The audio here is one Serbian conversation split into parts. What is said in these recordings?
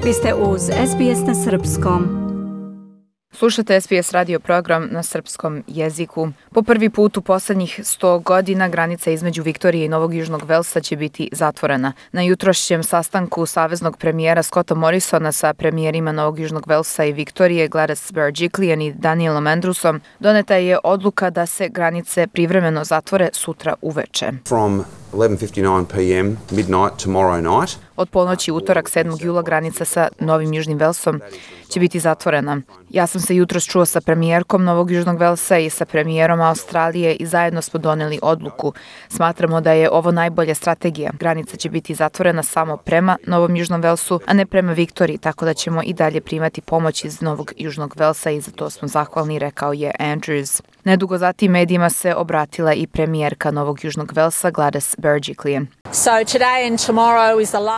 Vi ste uz SBS na Srpskom. Slušate SBS radio program na srpskom jeziku. Po prvi put u poslednjih 100 godina granica između Viktorije i Novog Južnog Velsa će biti zatvorena. Na jutrošnjem sastanku saveznog premijera Scotta Morrisona sa premijerima Novog Južnog Velsa i Viktorije Gladys Berejiklian i Danielom Andrewsom doneta je odluka da se granice privremeno zatvore sutra uveče. From 11:59 p.m. midnight tomorrow night. Od ponoći utorak 7. jula granica sa Novim Južnim Velsom će biti zatvorena. Ja sam se jutros čuo sa premijerkom Novog Južnog Velsa i sa premijerom Australije i zajedno smo doneli odluku. Smatramo da je ovo najbolja strategija. Granica će biti zatvorena samo prema Novom Južnom Velsu, a ne prema Viktoriji, tako da ćemo i dalje primati pomoć iz Novog Južnog Velsa i za to smo zahvalni, rekao je Andrews. Nedugo zatim medijima se obratila i premijerka Novog Južnog Velsa Gladys Berejiklian.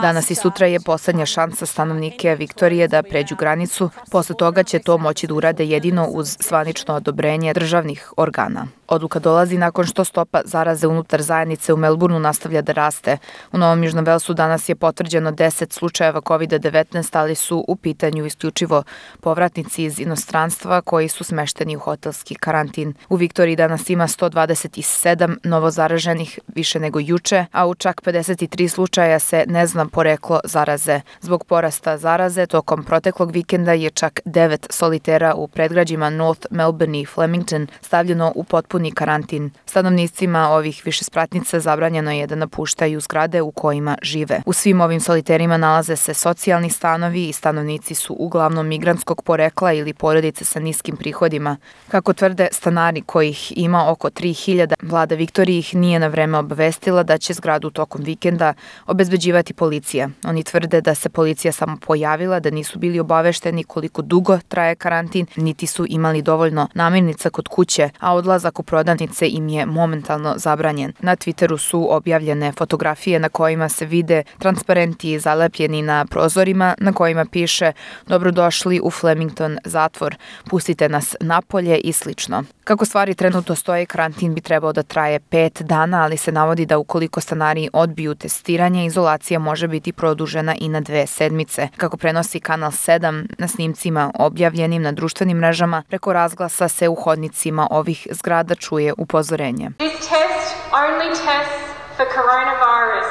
Danas i sutra je poslednja šansa stanovnike Viktorije da pređu granicu. Posle toga će to moći da urade jedino uz zvanično odobrenje državnih organa. Odluka dolazi nakon što stopa zaraze unutar zajednice u Melbourneu nastavlja da raste. U Novom Južnom Velsu danas je potvrđeno 10 slučajeva COVID-19, ali su u pitanju isključivo povratnici iz inostranstva koji su smešteni u hotelski karantin. U Viktoriji danas ima 127 novozaraženih, više nego juče, a u čak 53 slučaja se ne zna poreklo zaraze. Zbog porasta zaraze, tokom proteklog vikenda je čak 9 solitera u predgrađima North Melbourne i Flemington stavljeno u potpuni karantin. Stanovnicima ovih višespratnica zabranjeno je da napuštaju zgrade u kojima žive. U svim ovim soliterima nalaze se socijalni stanovi i stanovnici su uglavnom migrantskog porekla ili porodice sa niskim prihodima. Kako tvrde stanari kojih ima oko 3000, vlada Viktorije ih nije na vreme obavestila da će zgradu tokom vikenda obezbeđivati policija. Oni tvrde da se policija samo pojavila, da nisu bili obavešteni koliko dugo traje karantin, niti su imali dovoljno namirnica kod kuće, a odlazak u prodavnice im je momentalno zabranjen. Na Twitteru su objavljene fotografije na kojima se vide transparenti zalepljeni na prozorima na kojima piše "Dobrodošli u Flemington zatvor, pustite nas napolje" i slično. Kako stvari trenutno stoje, karantin bi trebao da traje 5 dana, ali se navodi da ukoliko stanari odbiju testiranje, izolacija može biti produžena i na 2 sedmice. Kako prenosi Kanal 7 na snimcima objavljenim na društvenim mrežama, preko razglasa se u hodnicima ovih zgrada čuje upozorenje. This test only tests for coronavirus.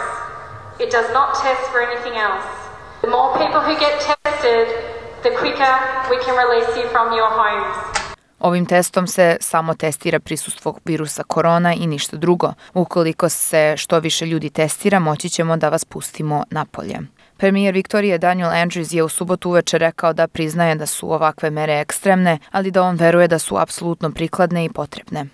It does not test for anything else. The more people who get tested, the quicker we can release you from your homes. Ovim testom se samo testira prisustvo virusa korona i ništa drugo. Ukoliko se što više ljudi testira, moći ćemo da vas pustimo napolje. Premijer Viktorije Daniel Andrews je u subotu uveče rekao da priznaje da su ovakve mere ekstremne, ali da on veruje da su apsolutno prikladne i potrebne.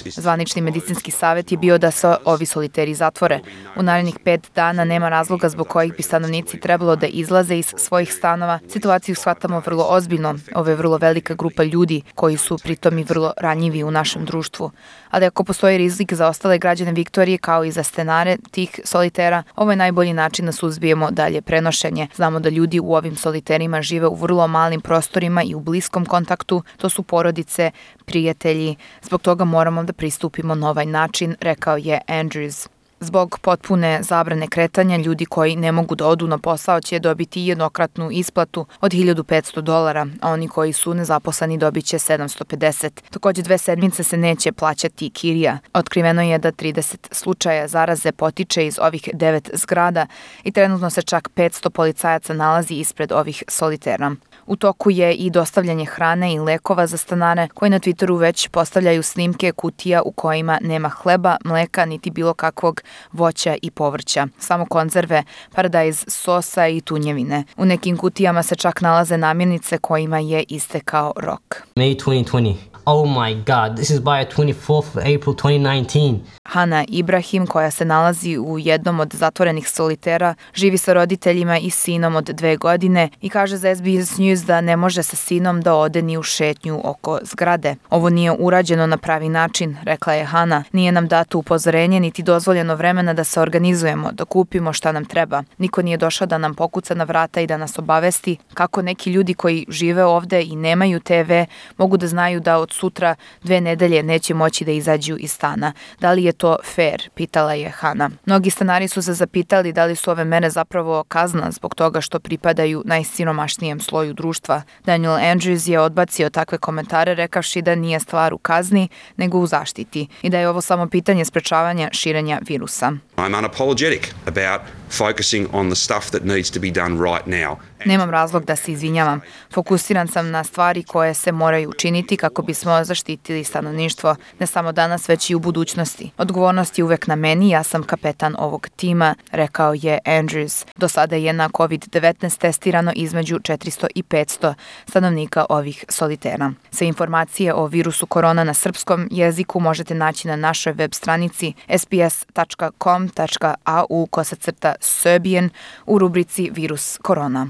Zvanični medicinski savjet je bio da se ovi soliteri zatvore. U narednih 5 dana nema razloga zbog kojih bi stanovnici trebalo da izlaze iz svojih stanova. Situaciju shvatamo vrlo ozbiljno. Ovo je vrlo velika grupa ljudi koji su pritom i vrlo ranjivi u našem društvu. Ali ako postoji rizik za ostale građane Viktorije kao i za stanare tih solitera, ovo je najbolji način da suzbijemo dalje prenošenje. Znamo da ljudi u ovim soliterima žive u vrlo malim prostorima i u bliskom kontaktu. To su porodice, prijatelji. Zbog toga moramo da pristupimo na ovaj način, rekao je Andrews. Zbog potpune zabrane kretanja, ljudi koji ne mogu da odu na posao će dobiti jednokratnu isplatu od $1.500, a oni koji su nezaposleni dobit će $750. Takođe 2 sedmice se neće plaćati kirija. Otkriveno je da 30 slučaja zaraze potiče iz ovih 9 zgrada i trenutno se čak 500 policajaca nalazi ispred ovih solitera. U toku je i dostavljanje hrane i lekova za stanare koji na Twitteru već postavljaju snimke kutija u kojima nema hleba, mleka niti bilo kakvog voća i povrća, samo konzerve, paradajz sosa i tunjevine. U nekim kutijama se čak nalaze namirnice kojima je istekao rok. May 2020. Oh my God, this is by 24th of April 2019. Hana Ibrahim, koja se nalazi u jednom od zatvorenih solitera, živi sa roditeljima i sinom od 2 godine i kaže za SBS News da ne može sa sinom da ode ni u šetnju oko zgrade. Ovo nije urađeno na pravi način, rekla je Hana. Nije nam dato upozorenje niti dozvoljeno vremena da se organizujemo, da kupimo šta nam treba. Niko nije došao da nam pokuca na vrata i da nas obavesti kako neki ljudi koji žive ovde i nemaju TV mogu da znaju da od sutra 2 nedelje neće moći da izađu iz stana. Da li je to fair? Pitala je Hana. Mnogi stanari su se zapitali da li su ove mere zapravo kazna zbog toga što pripadaju najsiromašnijem sloju društva. Daniel Andrews je odbacio takve komentare rekavši da nije stvar u kazni, nego u zaštiti i da je ovo samo pitanje sprečavanja širenja virusa. I'm unapologetic about focusing on the stuff that needs to be done right now. Nemam razlog da se izvinjavam. Fokusiran sam na stvari koje se moraju učiniti kako bismo zaštitili stanovništvo, ne samo danas, već i u budućnosti. Odgovornost je uvek na meni, ja sam kapetan ovog tima, rekao je Andrews. Do sada je na COVID-19 testirano između 400 i 500 stanovnika ovih solitera. Sve informacije o virusu korona na srpskom jeziku možete naći na našoj web stranici sbs.com.au/Serbian u rubrici Virus korona.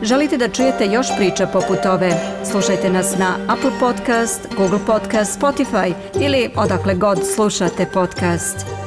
Želite da čujete još priča poput ove? Slušajte nas na Apple Podcast, Google Podcast, Spotify ili odakle god slušate podcast.